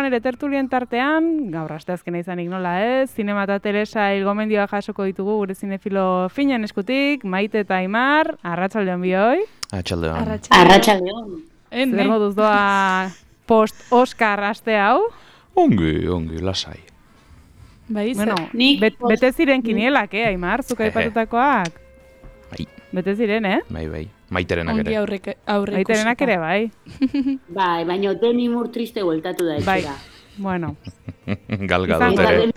ere tertulien tartean, gaur asteazkena izanik nola ez, Zinema eta Teresa gomendioa jasoko ditugu gure zinefilo finen eskutik, Maite eta Aimar, arratsaldeon bioi. Arratsaldeon. Zer moduz doa post-Oscar aste hau? Ongi, lasai. Bueno, bete ziren kinielak, Aimar, zuk aipatutakoak? Bai. Bete ziren, Bai. Maiterenak ere. Aurre Maiterenak ere, bai. Bai, baina Demi Moore triste bueltatu da etxera. Bai, bueno. Galgadot ere.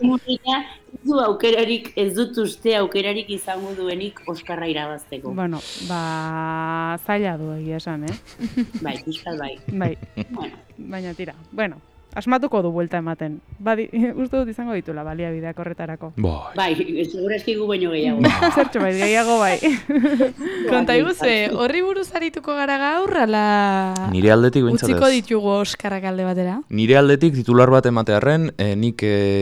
Ez dut uste aukerarik izango duenik Oskarra irabazteko. Bueno, zaila du egia esan, Bai, pixkat bai. Bai, baina tira. Bueno, asmatuko du buelta ematen. Uste dut izango ditula baliabideak horretarako. Bai, segurazki gu baino gehiago. Zertxo bai, gehiago bai. Konta iguzue, horri buruz arituko gara gaur, ala... Nire aldetik bintzatez. Utziko ditugu Oskarrak alde batera? Nire aldetik titular bat ematearren, nik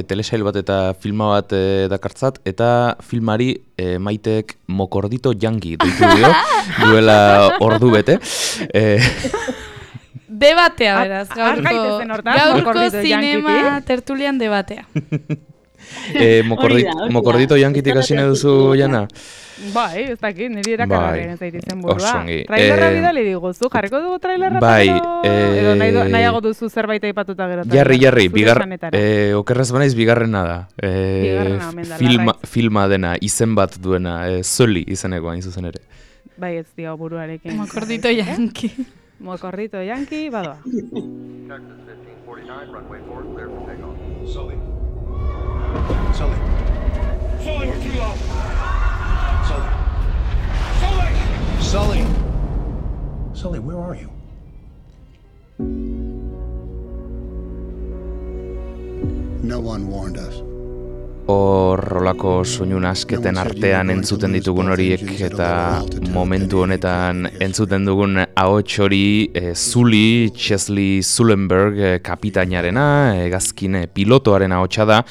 telesail bat eta filma bat dakartzat, eta filmari Maitek Mokordito Yankee deitu dio, duela ordu bete. Debatea, beraz, gaurko zinema tertulian debatea. Mokordito Yankitik hasi nahi duzu, Jana? Bai, ez dakit, niri erakargarriaren zaiti zen burua. Trailerra bidali diguzu, jarriko dugu trailerra? Bai. Edo nahiago duzu zerbait aipatuta gero. Jarri, okerrez banaiz bigarrena da. Filma dena, izen bat duena, Zoli izeneko hain zuzen ere. Bai, ez dio buruarekin. Mokordito Yankee. Mokordito Yankee, badoa. Sully, you're too low. Sully, where are you? No one warned us. Horrolako soinu nasketen artean entzuten ditugun horiek eta momentu honetan entzuten dugun ahots hori Sully, Chesley Sullenberg kapitainarena, hegazkin pilotoaren ahotsa da.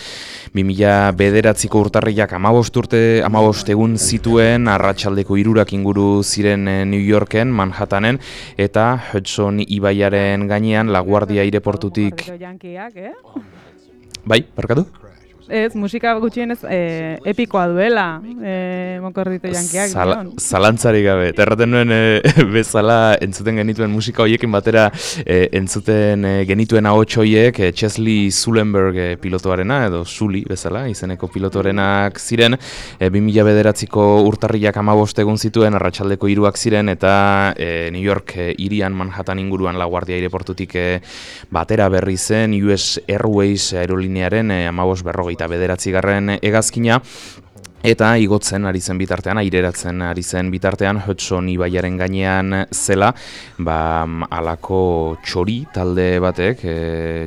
2009ko urtarrilak 15 egun zituen, arratsaldeko 3 inguru ziren New Yorken, Manhattanen, eta Hudson ibaiaren gainean LaGuardia aireportutik... Bai, barkatu? Ez, musika gutxienez epikoa duela, Mokordito Yankeak. Zalantzarik gabe, erraten nuen bezala entzuten genituen musika horiekin batera entzuten genituen ahots horiek Chesley Sullenberg pilotoarena, edo Sully bezala, izeneko pilotoarenak ziren, 2009ko urtarrilak 15 egun zituen, arratsaldeko 3 ziren, eta New York hirian Manhattan inguruan LaGuardia aireportutik batera berri zen US Airways aerolinearen 15-bederatzigarren hegazkina, eta igotzen ari zen bitartean, aireratzen ari zen bitartean, Hudson ibaiaren gainean zela, alako txori talde batek,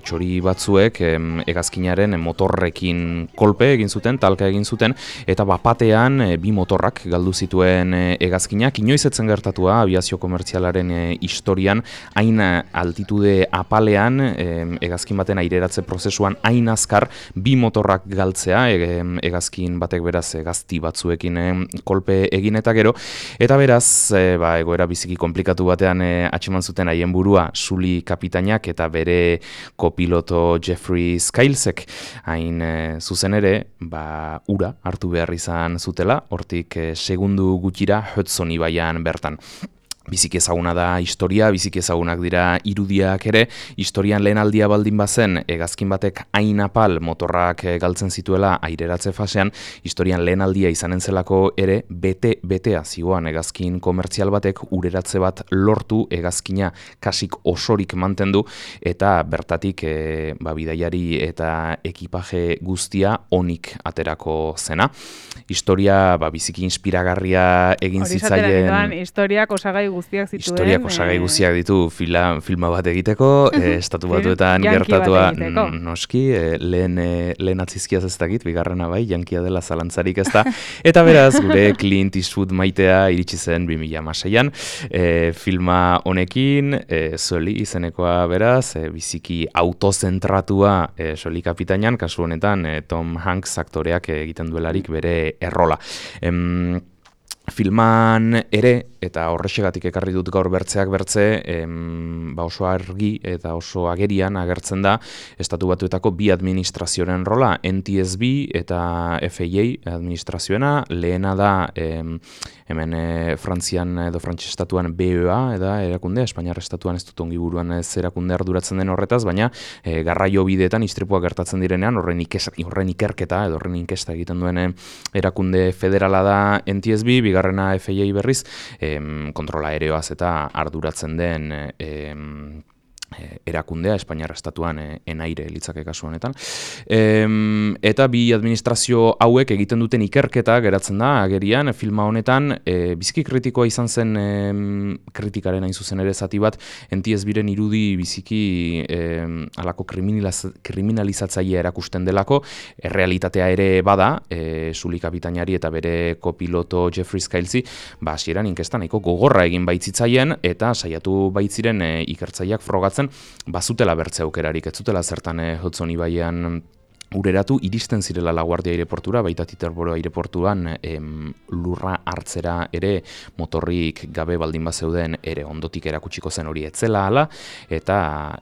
txori batzuek hegazkinaren motorrekin kolpe egin zuten, talka egin zuten, eta bapatean 2 motorrak galdu zituen hegazkinak. Inoiz etzen gertatua abiazio komertzialaren historian, hain altitude apalean, hegazkin baten aireratze prozesuan hain azkar 2 motorrak galtzea, hegazkin batek beraz gazti batzuekin kolpe egin eta gero, eta beraz egoera biziki komplikatu batean atxeman zuten haien burua Sully kapitainak eta bere kopiloto Jeffrey Skylesek, hain zuzen ere ura hartu behar izan zutela, hortik segundu gutxira Hudson ibaian bertan. Biziki ezaguna da historia, biziki ezagunak dira irudiak ere, historian lehen aldia baldin bazen, hegazkin batek hain apal motorrak galtzen zituela aireratze fasean, historian lehen aldia izanen zelako ere, betea zigoan hegazkin komertzial batek ureratze bat lortu, hegazkina kasik osorik mantendu, eta bertatik bidaiari eta ekipaje guztia onik aterako zena. Historia biziki inspiragarria egin zitzaien... Historiak osagai guztiak zituen. Historiak osagai guztiak ditu filma bat egiteko, estatu batuetan gertatua noski, lehen atzizkiaz ez dakit, bigarrena bai, jankia dela zalantzarik ez da. Eta beraz, gure Clint Eastwood maitea iritsi zen 2016an, filma honekin, Sully izenekoa beraz, biziki autozentratua Sully kapitainan, kasu honetan Tom Hanks aktoreak egiten duelarik bere errola. filman ere, eta horrexegatik ekarri dut gaur bertzeak bertze, oso argi eta oso agerian agertzen da Estatu Batuetako bi administrazioaren rola, NTSB eta FAA administrazioena, lehena da hemen Frantzian edo Frantses estatuan BEA da erakundea, Espainiar estatuan ez dut ongi buruan ez erakunde arduratzen den horretaz, baina garraio bideetan istripuak gertatzen direnean horren ikerketa edo horren inkesta egiten duen erakunde federala da NTSB, bigarrena FAA berriz, kontrola aereoaz eta arduratzen den erakundea, Espainiar estatuan enaire litzake kasu honetan. Eta bi administrazio hauek egiten duten ikerketa geratzen da, agerian, filma honetan, biziki kritikoa izan zen kritikaren hain zuzen ere zati bat, NTSB-ren irudi biziki alako kriminalizatzailea erakusten delako, errealitatea ere bada, Sully kapitainari eta bere kopiloto Jeffrey Scalzi, hasieran inkesta nahiko gogorra egin baitzitzaien, eta saiatu baitziren ikertzaileak frogatzen bazutela bertze aukerarik, ez zutela zertan Hudson ibaian ureratu, iristen zirela LaGuardia aireportura, baita Teterboro aireportuan lurra hartzera ere motorrik gabe baldin bazeuden ere ondotik erakutsiko zen hori etzela hala, eta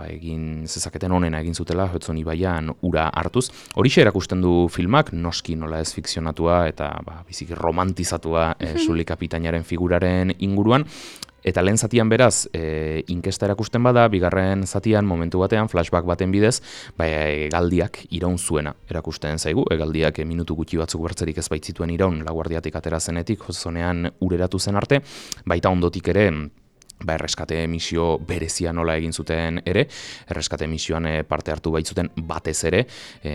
egin zezaketen onena egin zutela Hudson ibaian ura hartuz. Horixe erakusten du filmak, noski nola ez fikzionatua eta biziki romantizatua Sully kapitainaren figuraren inguruan. Eta lehen zatian beraz, inkesta erakusten bada, bigarren zatian, momentu batean, flashback baten bidez, hegaldiak iraun zuena erakusten zaigu. Hegaldiak minutu gutxi batzuk bertzerik ez baitzituen iraun, LaGuardiatik atera zenetik, Hudsonean ureratu zen arte, baita ondotik ere, erreskate misio berezia nola egin zuten ere, erreskate misioan parte hartu baitzuten batez ere,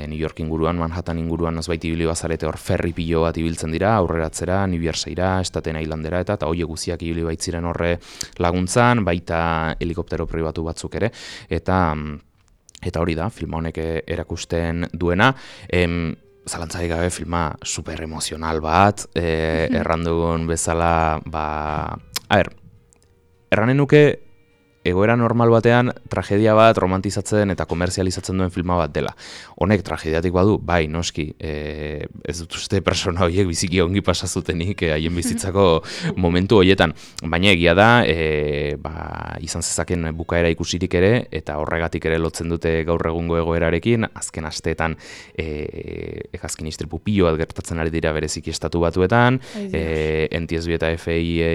New York inguruan, Manhattan inguruan nozbait ibili bazarete hor ferri pilo bat ibiltzen dira, aurreratzera, New Jerseyra, Staten Islandera eta hoi guziak ibili baitziren horre laguntzan, baita helikoptero pribatu batzuk ere, eta hori da, filma honek erakusten duena, zalantzarik gabe filma super emozional bat, errandugun bezala, erranen nuke egoera normal batean tragedia bat romantizatzen eta komerzializatzen duen filma bat dela. Honek tragediatik badu, bai, noski, ez dut uste persona horiek biziki ongi pasazutenik haien bizitzako momentu horietan. Baina egia da, izan zezaken bukaera ikusirik ere, eta horregatik ere lotzen dute gaur egungo egoerarekin, azken asteetan hegazkin istripu pilo bat gertatzen ari dira bereziki Estatu Batuetan, NTSB eta FAA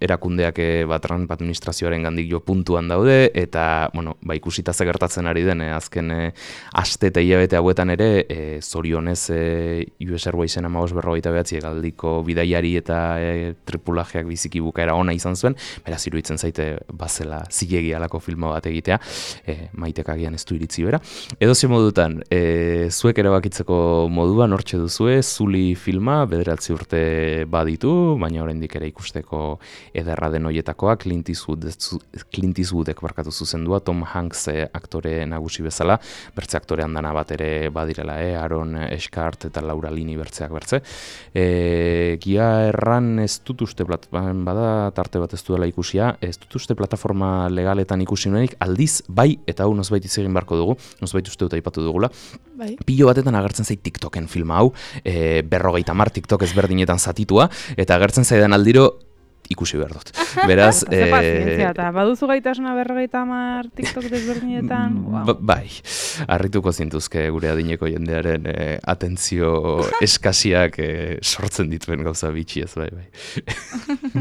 erakundeak Trump administrazioaren gandik jo puntuan daude, eta ikusita ze gertatzen ari den azken aste eta hilabete hauetan ere, zorionez US Airwaysen 1549 hegaldiko bidaiari eta tripulajeak biziki bukaera ona izan zuen, beraz iruditzen zaite bazela zilegi alako filma bat egitea, Maitek agian ez du iritzi bera. Edozein modutan, zuek erabakitzeko moduan hortxe duzue, Sully filma, 9 urte baditu, baina oraindik ere ikusteko ederra den hoietakoa, Clint Eastwoodek barkatu zuzendua, Tom Hanks aktore nagusi bezala, bertze aktore handana bat ere badirela, Aaron Eckhart eta Laura Linney bertzeak bertze. Gia erran ez dut uste, bada tarte bat ez duela ikusia, ez dut uste plataforma legaletan ikusi nuenik, aldiz, bai, eta hau nozbait hitz egin beharko dugu, nozbait uste dut aipatu dugula. Bai. Pilo batetan agertzen zait TikToken filma hau, 50 TikTok ezberdinetan zatitua, eta agertzen zaidan aldiro, ikusi behar dut. Beraz... eta baduzu gaitasuna 50 TikTok desberdinetan? Bai, harrituko zintuzke gure adineko jendearen atentzio eskasiak sortzen dituen gauza bitxi ez, bai.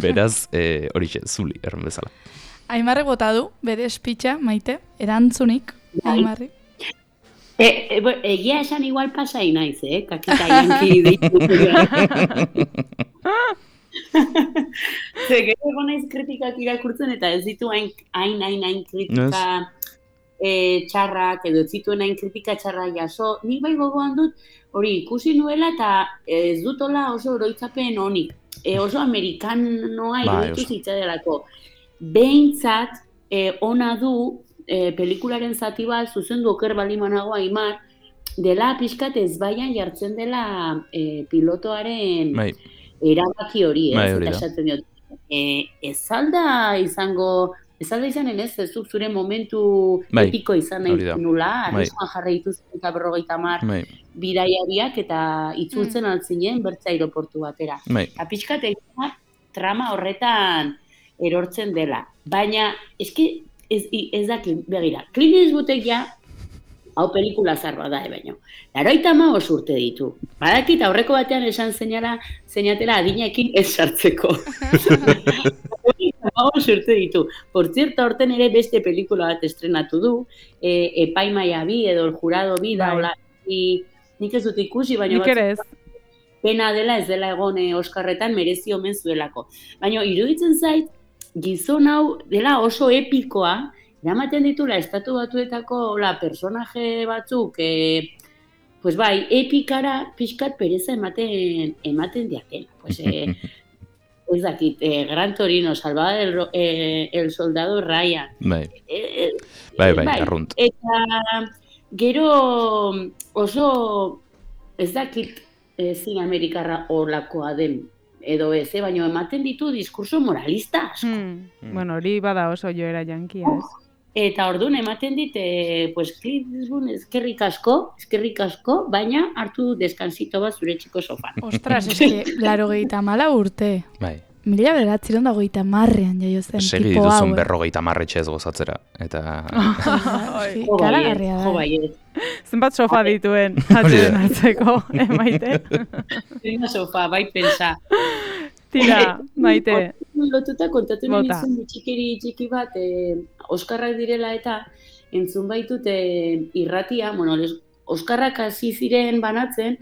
Beraz, horixe, Sully, erren bezala. Aimarrek bota du, bere espitxa, Maite, erantzunik, Aimarrek. Egia esan igual pasai naiz, kakita janki deitu. Gero egonaiz kritikak irakurtzen eta ez ditu hain kritika txarrak edo ez zituen hain kritika txarra jaso. Nik bai gogoan dut hori ikusi nuela eta ez dutola oso oroitzapen honik. Oso amerikanoa iruditu zitzadelako. Behintzat ona du pelikularen zati bat zuzendu oker balimanago Aimar dela pixkat ezbaian jartzen dela pilotoaren erabaki hori, eta esaten diot, ez alda izango Ez alda izanen ez zuk zure momentu Bai, epiko izan hori da. nahi nula, Bai. arriskuan jarri dituzten eta 50 Bai, bidaiariak eta itzultzen altzinen bertze aireportu batera. bai. Eta pixkat egin trama horretan erortzen dela. Baina, eske ez dakit, begira, Clint Eastwoodek ja, hau pelikula zarba da, baino. 95 urte ditu. Badakit aurreko batean esan zeinatela adinekin ez sartzeko. 95 urte ditu. Por cierto, horten ere beste pelikula bat estrenatu du, Epaimaia bi edo El Jurado bi, da, hola, nik ez dut ikusi, baina Nik ere ez. pena dela ez dela egon Oskarretan merezi omen zuelako. Baina iruditzen zait, gizon hau dela oso epikoa, eramaten ditula estatu batuetako personaje batzuk, pues bai, epikara pixkat pereza ematen diatela. Pues, ez dakit, Gran Torino, Salvador el Soldado Ryan. Bai, bai, arrunt. Eta gero oso, ez dakit, zin Amerikarra horlakoa den, edo ez, baina ematen ditu diskurso moralista asko. Bueno, hori bada oso joera jankia, ez? Eta orduan ematen dit, pues, Clint Eastwood eskerrik asko, baina hartu deskansito bat zure txiko sofan. Ostras, eske, 84 urte. Bai. 1930ean jaio zen Segi tipo hau. dituzun 50 etxez gozatzera. Eta... Karagarria da. Jo baiet. Zenbat sofa dituen atxeden hartzeko, Maite? Zerina sofa, bai pensa. Tira, Maite. Lotuta kontatu nahi Bota. nizun txiki bat, Oskarrak direla eta entzun baitut irratia, bueno, Oskarrak hasi ziren banatzen,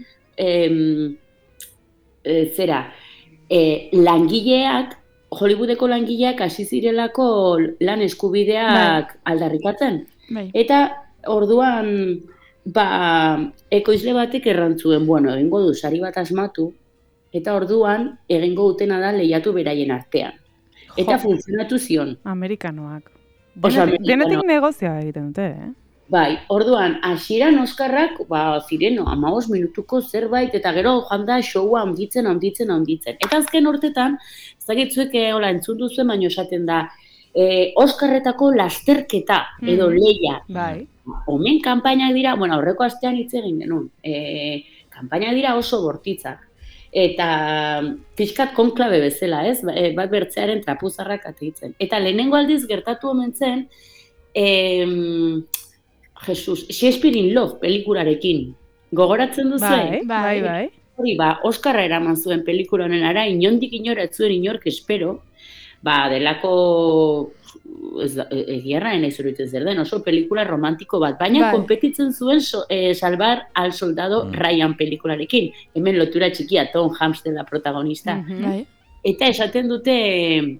langileak, Hollywoodeko langileak hasi zirelako lan eskubideak aldarrikatzen. Bai. Eta orduan, ekoizle batek errantzuen, bueno, egingo du sari bat asmatu, eta orduan egingo dutena da lehiatu beraien artean. Eta funtzionatu zion. Amerikanoak. Oso Denetik negozioa egiten dute, eh? Bai, orduan, hasieran Oskarrak, ziren, 15 minutuko zerbait, eta gero joan da showa handitzen. Eta azken urtetan, ez dakitzuek hola entzun duzuen, baino esaten da, Oskarretako lasterketa, edo lehia. Bai. Omen kanpainak dira, bueno, aurreko astean hitz egin genuen, kanpainak dira oso bortitzak. Eta pixkat konklabe bezala, ez? Bat bertzearen trapuzarrak ateitzen. Eta lehenengo aldiz gertatu omen zen, Shakespeare in Love pelikularekin. Gogoratzen duzu? Bai. Hori, Oskarra eraman zuen pelikula honenara, inondik inora ez zuen inork espero, delako egiarra nahi zuritu zer den, oso pelikula romantiko bat, baina konpetitzen zuen Salvar al Soldado Ryan pelikularekin. Hemen lotura txikia, Tom Hanks dela protagonista. Eta esaten dute,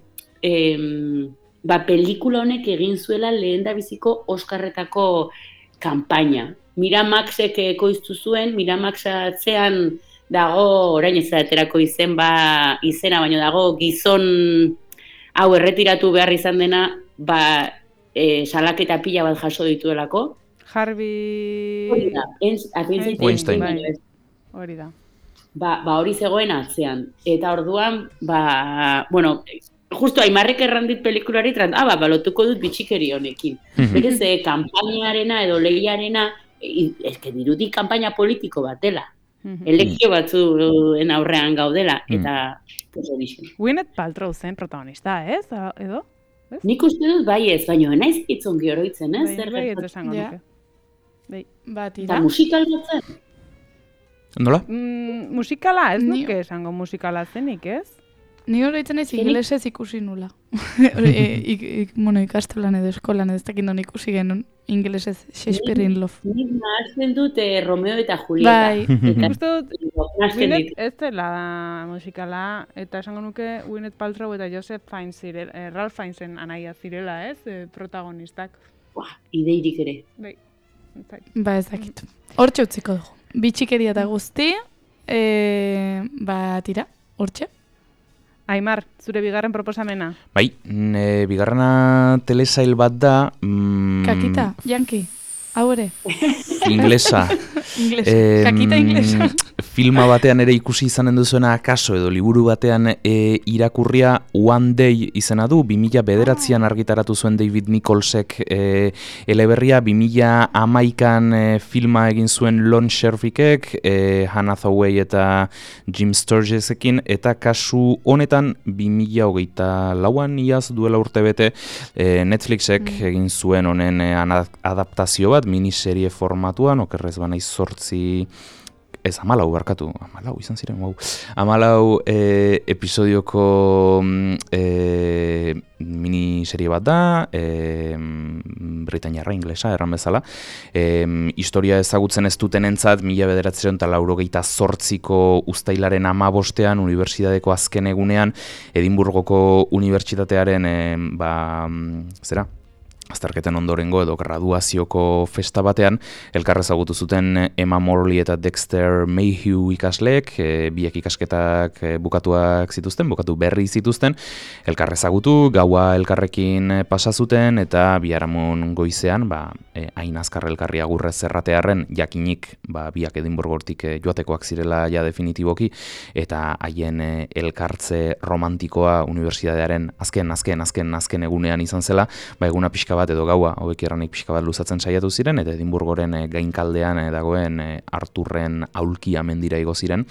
pelikula honek egin zuela lehendabiziko Oskarretako kanpaina. Miramaxek ekoiztu zuen, Miramax atzean dago, orain ez da aterako izena, baina dago gizon hau erretiratu behar izan dena, salaketa pila bat jaso dituelako. Harvey Weinstein. Hori da. Hori zegoen atzean. Eta orduan, bueno, justo Aimarrek errandit pelikulari, lotuko dut bitxikeri honekin. Berez, kanpainarena edo lehiarena, ezke dirudik kanpaina politiko bat dela. Elekzio batzuen aurrean gaudela, eta Gwyneth Paltrow zen protagonista, ez? Edo? Nik uste dut bai ez, baina naiz itzongi oroitzen, ez? Bai, ez esango nuke. Eta musikal bat zen? Nola? Musikala, ez nuke esango musikala zenik, ez? Ni oroitzen ez ingelesez ikusi nula. Ikastolan edo eskolan ez dakit non ikusi genuen ingelesez Shakespeare in Love. Nik nahazten dut Romeo eta Julieta. Bai. Uste dut, Gwyneth ez dela musikala, eta esango nuke Gwyneth Paltrow eta Joseph Fiennes Ralph Fiennesen anaia zirela, ez? Protagonistak. Ideirik ere. Bai. Ez dakit. Hortxe utziko dugu. Bitxikeria eta guzti, tira, hortxe. Aimar, zure bigarren proposamena. Bai, bigarrena telesail bat da... Kakita, Yankee, hau ere. Inglesa. Kakita inglesa. filma batean ere ikusi izanen duzuena akaso edo liburu batean irakurria One Day izena du, 2009an argitaratu zuen David Nicholsek eleberria, 2011an filma egin zuen Lon Scherfikek, Hannah Hathaway eta Jim Sturgesekin, eta kasu honetan 2024an iaz duela urtebete Netflixek egin zuen honen adaptazio bat, miniserie formatuan, okerrez banaiz 8, ez 14 barkatu, 14 izan ziren, wow. 14 episodioko miniserie bat da, britainiarra, inglesa, erran bezala. Historia ezagutzen ez dutenentzat 1988ko uztailaren 15ean, unibertsitateko azken egunean, Edinburgoko unibertsitatearen, azterketen ondorengo edo graduazioko festa batean, elkar ezagutu zuten Emma Morley eta Dexter Mayhew ikasleek, biek ikasketak bukatu berri zituzten, elkar ezagutu, gaua elkarrekin pasa zuten, eta biharamun goizean, hain azkar elkarri agurrez erratearren, jakinik biak Edinburgortik joatekoak zirela ja definitiboki, eta haien elkartze romantikoa unibertsitatearen azken egunean izan zela, eguna pixka bat edo gaua, hauek erranik pixka bat luzatzen saiatu ziren, eta Edinburgoren gainkaldean dagoen Arturren aulkia mendira igo ziren,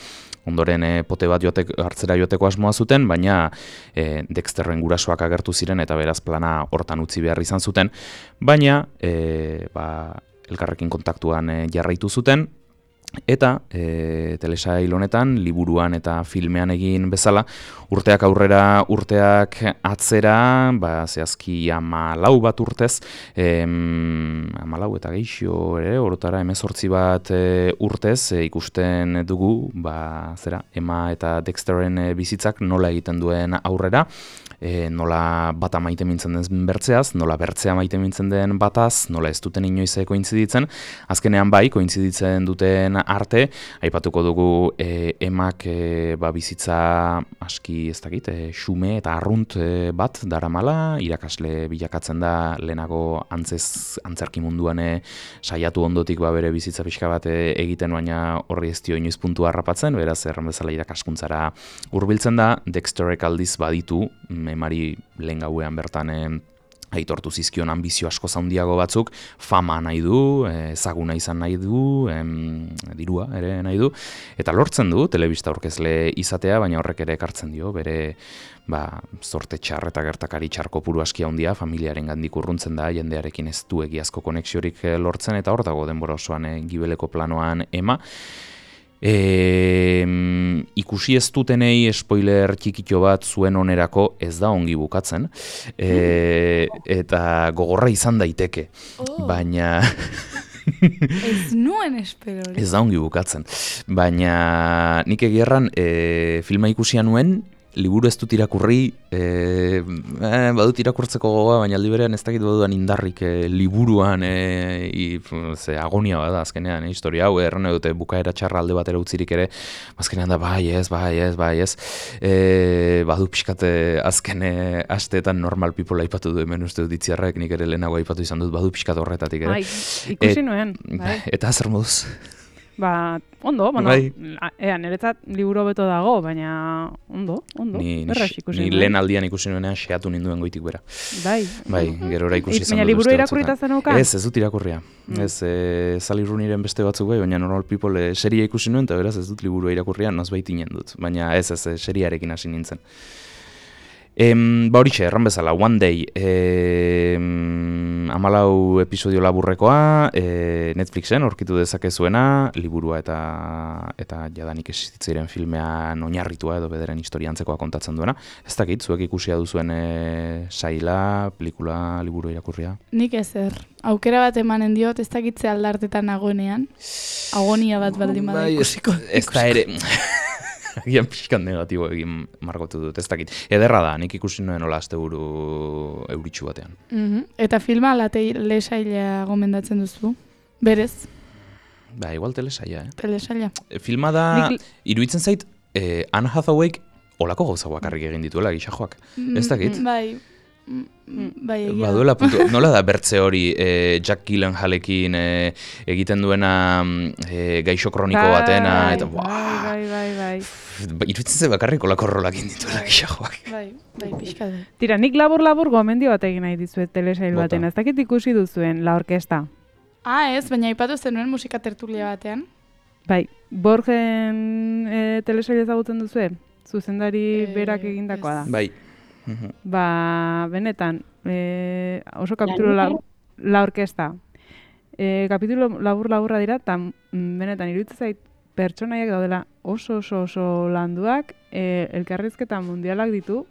ondoren pote bat hartzera joateko asmoa zuten, baina Dexterren gurasoak agertu ziren, eta beraz plana hortan utzi behar izan zuten, baina elkarrekin kontaktuan jarraitu zuten, eta telesail honetan, liburuan eta filmean egin bezala, urteak aurrera, urteak atzera, zehazki 14 bat urtez, 14 eta geixo ere, orotara 18 bat urtez, ikusten dugu, Emma eta Dexterren bizitzak nola egiten duen aurrera, nola bata maite mintzen den bertzeaz, nola bertzea maite mintzen den bataz, nola ez duten inoiz kointziditzen, azkenean kointziditzen duten arte, aipatuko dugu Emak bizitza aski ez dakit, xume eta arrunt bat daramala, irakasle bilakatzen da lehenago antzerki munduan saiatu ondotik bere bizitza pixka bat egiten, baina horri ez dio inoiz puntua harrapatzen, beraz erran bezala irakaskuntzara hurbiltzen da, Dexterrek aldiz baditu, Emari lehen gauean bertan aitortu zizkion ambizio asko handiago batzuk, fama nahi du, ezaguna izan nahi du, dirua ere nahi du, eta lortzen du telebista aurkezle izatea, baina horrek ere ekartzen dio, bere zorte txar eta gertakari txar kopuru aski handia, familiaren gandik urruntzen da, jendearekin ez du egiazko konexiorik lortzen, eta hor dago denbora osoan gibeleko planoan Emma. Ikusi ez dutenei spoiler txikitxo bat zuen onerako ez da ongi bukatzen, eta gogorra izan daiteke, baina ez nuen espero. Ez da ongi bukatzen, baina nik egierran filma ikusia nuen, liburu ez dut irakurri, badut irakurtzeko gogoa, baina aldi berean ez dakit baduan indarrik liburuan agonia bada azkenean, historia hau, erran dute bukaera txarra alde batera utzirik ere, azkenean da bai ez, badu pixkat azken asteetan normal people aipatu du hemen uste dut ditziarrek, nik ere lehenago aipatu izan dut, badu pixkat horretatik ere. Ikusi nuen. Eta zer moduz? Ondo, niretzat liburu beto dago, baina ondo, berraz ikusi nuen. Ni lehen aldian ikusi nuenean xeatu ninduen goitik bera. Bai, gerora ikusi izan dut. Baina liburu irakurrita zenukan? Ez dut irakurria. Sally Rooneyren beste batzuk bai, baina Normal People seria ikusi nuen, eta beraz ez dut liburu irakurria, nozbait inen dut. Baina ez, seriarekin hasi nintzen. Horixe, erran bezala, One Day, 14 episodio laburrekoa, Netflixen aurkitu dezakezuena, liburua eta jadanik existitzen filmean oinarritua edo bederen historia antzekoa kontatzen duena. Ez dakit, zuek ikusia duzuen saila, pelikula, liburu irakurria? Nik ezer. Aukera bat emanen diot, ez dakitze aldartetan nagoenean. Agonia bat baldin bada ikusiko. Ez da ere... Agian pixkan negatibo egin margotu dut, ez dakit. Ederra da, nik ikusi nuen hola asteburu euritxu batean. Eta filma telesaila gomendatzen duzu? Berez? Igual telesaila, Telesaila. Filma da, iruditzen zait, Anne Hathawayk olako gauza bakarrik egin dituela, gixajoak. Ez dakit? Bai. Bai, egia. Baduela puntu, nola da bertze hori Jack Gyllenhaalekin egiten duena gaixo kroniko batena, eta Bai. iruditzen ze bakarrik olako rolak indituela gixajoak. Bai, pixka du. Tira, nik labur gomendio bat egin nahi dizuet telesail Bota. baten. Ez dakit ikusi duzuen La Orkesta. Ez, baina ipatu zenuen musika tertulia batean. Bai, Borgen telesail ezagutzen duzue? Zuzendari berak egindakoa da. Bai. Ba, benetan, oso kapitulo La Orkesta. Kapitulo labur-laburra dira, eta benetan iruditzen zait pertsonaiak daudela oso landuak, elkarrizketa mundialak ditu,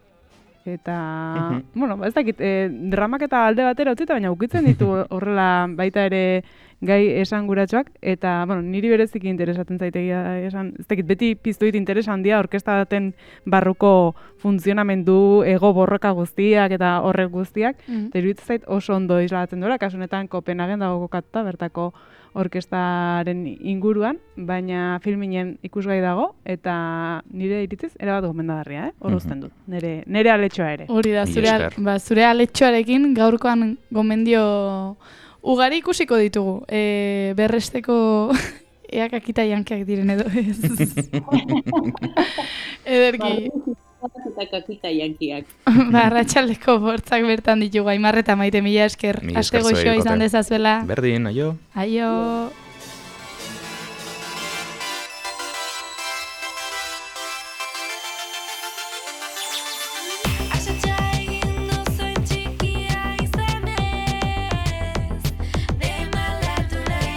eta, bueno, ez dakit, dramak eta alde batera utzita, baina ukitzen ditu horrela baita ere gai esanguratsuak, eta, bueno, niri bereziki interesatzen zaitegia esan, ez dakit, beti piztu dit interesa handia orkesta baten barruko funtzionamendu, ego borroka guztiak eta horrek guztiak, eta iruditzen zait oso ondo islatzen duela, kasu honetan Kopenhagen dago kokatuta bertako orkestaren inguruan, baina filminen ikusgai dago, eta nire iritziz erabat gomendagarria, hor uzten dut, nire aletxoa ere. Hori da, zure aletxoarekin gaurkoan gomendio ugari ikusiko ditugu. Berresteko eak akita jankeak diren edo ez. Ederki. Eta kakita jankiak. Arratsaldeko bortzak bertan ditugu, Aimar eta Maite, mila esker. Aste goxoa izan dezazuela. Berdin, aio. Aio.